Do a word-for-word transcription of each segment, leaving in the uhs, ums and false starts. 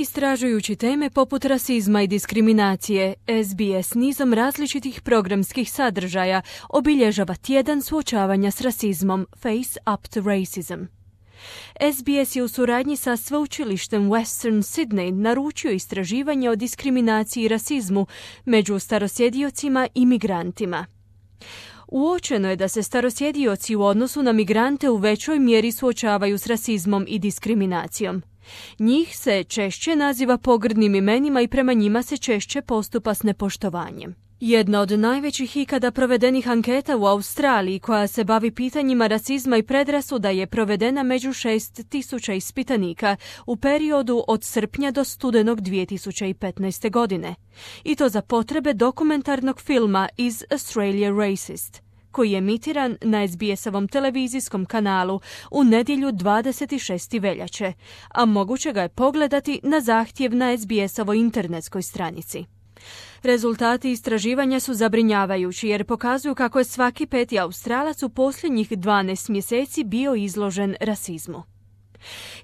Istražujući teme poput rasizma i diskriminacije, S B S nizom različitih programskih sadržaja obilježava tjedan suočavanja s rasizmom Face Up to Racism. S B S je u suradnji sa sveučilištem Western Sydney naručio istraživanje o diskriminaciji i rasizmu među starosjediocima i migrantima. Uočeno je da se starosjedioci u odnosu na migrante u većoj mjeri suočavaju s rasizmom i diskriminacijom. Njih se češće naziva pogrdnim imenima i prema njima se češće postupa s nepoštovanjem. Jedna od najvećih ikada provedenih anketa u Australiji koja se bavi pitanjima rasizma i predrasuda je provedena među šest tisuća ispitanika u periodu od srpnja do studenog dvije tisuće petnaeste. godine. I to za potrebe dokumentarnog filma Is Australia Racist, koji je emitiran na S B S-ovom televizijskom kanalu u nedjelju dvadeset šestog veljače, a moguće ga je pogledati na zahtjev na S B S-ovoj internetskoj stranici. Rezultati istraživanja su zabrinjavajući jer pokazuju kako je svaki peti Australac u posljednjih dvanaest mjeseci bio izložen rasizmu.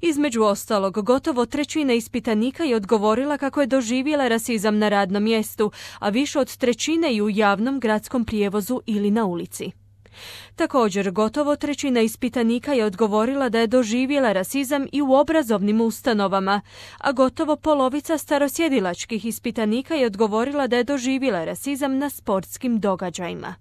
Između ostalog, gotovo trećina ispitanika je odgovorila kako je doživjela rasizam na radnom mjestu, a više od trećine i u javnom gradskom prijevozu ili na ulici. Također, gotovo trećina ispitanika je odgovorila da je doživjela rasizam i u obrazovnim ustanovama, a gotovo polovica starosjedilačkih ispitanika je odgovorila da je doživjela rasizam na sportskim događajima.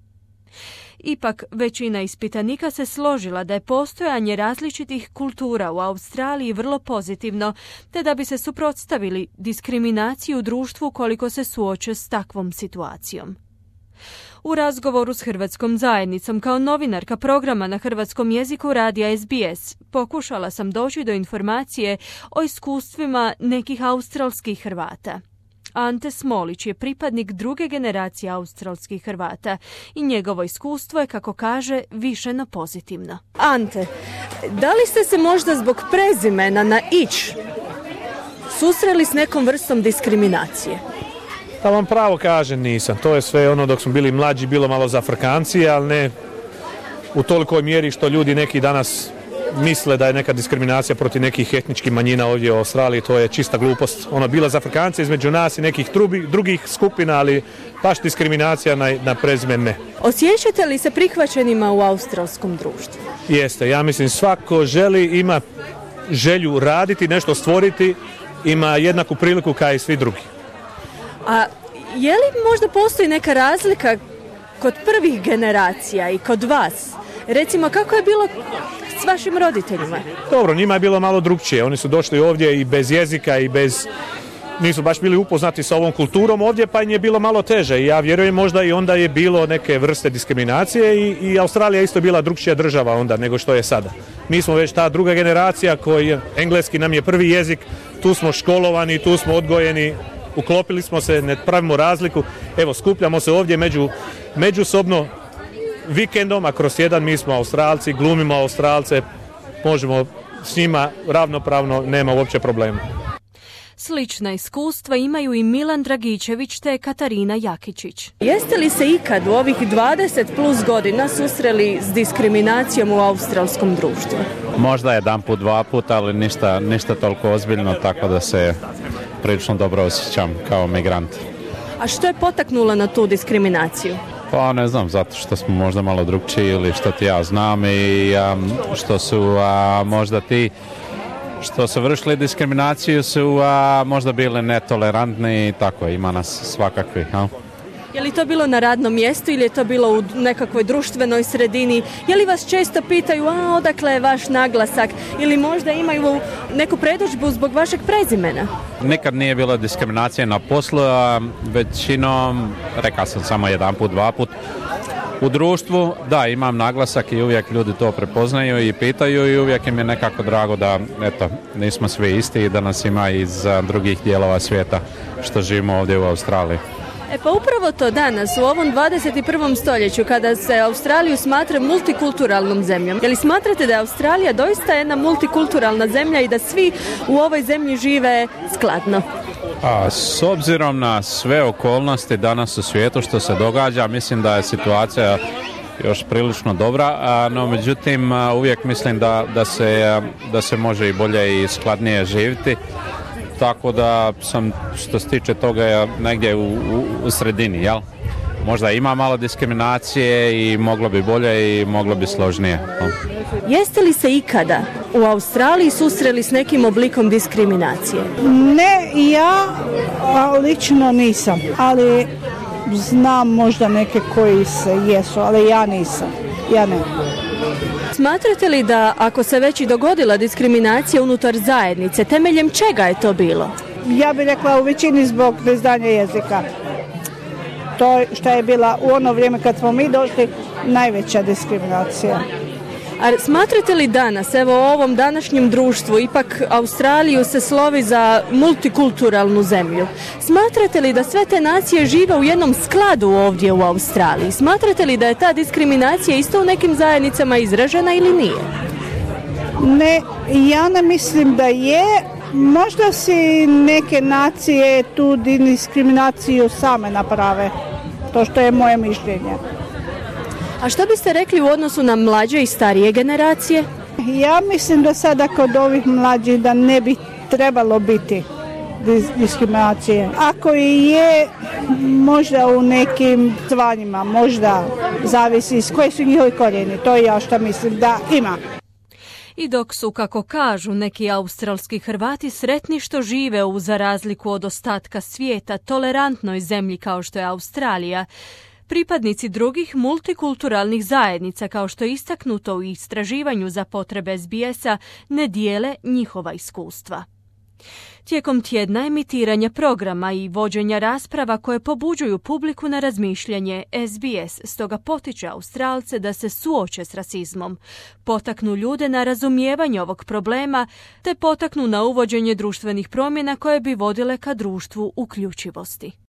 Ipak, većina ispitanika se složila da je postojanje različitih kultura u Australiji vrlo pozitivno, te da bi se suprotstavili diskriminaciji u društvu koliko se suoče s takvom situacijom. U razgovoru s hrvatskom zajednicom kao novinarka programa na hrvatskom jeziku radija S B S pokušala sam doći do informacije o iskustvima nekih australskih Hrvata. Ante Smolić je pripadnik druge generacije australskih Hrvata i njegovo iskustvo je, kako kaže, više no pozitivno. Ante, da li ste se možda zbog prezimena na ić susreli s nekom vrstom diskriminacije? Da vam pravo kažem, nisam. To je sve ono dok smo bili mlađi, bilo malo za Afrikancije, ali ne u tolikoj mjeri što ljudi neki danas misle da je neka diskriminacija protiv nekih etničkih manjina ovdje u Australiji. To je čista glupost. Ono, bila za Afrikance između nas i nekih drugi, drugih skupina, ali baš diskriminacija na, na prezimen ne. Osjećate li se prihvaćenima u australskom društvu? Jeste. Ja mislim svako želi, ima želju raditi, nešto stvoriti, ima jednaku priliku kao i svi drugi. A je li možda postoji neka razlika kod prvih generacija i kod vas? Recimo, kako je bilo s vašim roditeljima? Dobro, njima je bilo malo drugčije. Oni su došli ovdje i bez jezika i bez... nisu baš bili upoznati sa ovom kulturom ovdje, pa im je bilo malo teže. I ja vjerujem možda i onda je bilo neke vrste diskriminacije i, i Australija isto bila drugčija država onda nego što je sada. Mi smo već ta druga generacija koji engleski nam je prvi jezik, tu smo školovani, tu smo odgojeni, uklopili smo se, ne pravimo razliku. Evo, skupljamo se ovdje među, međusobno vikendom, a kroz jedan mi smo Australci, glumimo Australce, možemo s njima ravnopravno, nema uopće problema. Slična iskustva imaju i Milan Dragičević te Katarina Jakičić. Jeste li se ikad u ovih dvadeset plus godina susreli s diskriminacijom u australskom društvu? Možda jedan put, dva put, ali ništa, ništa toliko ozbiljno, tako da se prilično dobro osjećam kao migrant. A što je potaknulo na tu diskriminaciju? Pa ne znam, zato što smo možda malo drugčiji ili što ti ja znam i um, što su uh, možda ti što su vršili diskriminaciju su uh, možda bili netolerantni i tako, ima nas svakakvih. Ha? Je li to bilo na radnom mjestu ili je to bilo u nekakvoj društvenoj sredini? Je li vas često pitaju, a odakle je vaš naglasak? Ili možda imaju neku predodžbu zbog vašeg prezimena? Nikad nije bilo diskriminacije na poslu, a većinom, rekao sam samo jedan put, dva put. U društvu, da, imam naglasak i uvijek ljudi to prepoznaju i pitaju i uvijek im je nekako drago da, eto, nismo svi isti i da nas ima iz drugih dijelova svijeta što živimo ovdje u Australiji. E pa upravo to danas, u ovom dvadeset prvom stoljeću, kada se Australiju smatra multikulturalnom zemljom. Je li smatrate da je Australija doista jedna multikulturalna zemlja i da svi u ovoj zemlji žive skladno? A, s obzirom na sve okolnosti danas u svijetu što se događa, mislim da je situacija još prilično dobra, a, no međutim uvijek mislim da, da, se, da se može i bolje i skladnije živjeti. tako da sam što se tiče toga negdje u, u, u sredini, jel? Možda ima malo diskriminacije i moglo bi bolje i moglo bi složnije. Jeste li se ikada u Australiji susreli s nekim oblikom diskriminacije? Ne, ja lično nisam, ali znam možda neke koji se jesu, ali ja nisam, ja ne. Smatrate li da ako se već i dogodila diskriminacija unutar zajednice, temeljem čega je to bilo? Ja bih rekla u većini zbog neznanja jezika. To što je bila u ono vrijeme kad smo mi došli najveća diskriminacija. A smatrate li danas, evo u ovom današnjem društvu, ipak Australiju se slovi za multikulturalnu zemlju, smatrate li da sve te nacije žive u jednom skladu ovdje u Australiji? Smatrate li da je ta diskriminacija isto u nekim zajednicama izražena ili nije? Ne, ja ne mislim da je. Možda si neke nacije tu diskriminaciju same naprave. To što je moje mišljenje. A što biste rekli u odnosu na mlađe i starije generacije? Ja mislim da sada kod ovih mlađih da ne bi trebalo biti diskriminacije. Ako i je, možda u nekim zvanjima, možda zavisi s koji su njihovi korijeni. To je ja što mislim da ima. I dok su, kako kažu neki australski Hrvati, sretni što žive u, za razliku od ostatka svijeta, tolerantnoj zemlji kao što je Australija, pripadnici drugih multikulturalnih zajednica, kao što je istaknuto u istraživanju za potrebe S B S-a, ne dijele njihova iskustva. Tijekom tjedna emitiranja programa i vođenja rasprava koje pobuđuju publiku na razmišljanje, S B S stoga potiče Australce da se suoče s rasizmom, potaknu ljude na razumijevanje ovog problema, te potaknu na uvođenje društvenih promjena koje bi vodile ka društvu uključivosti.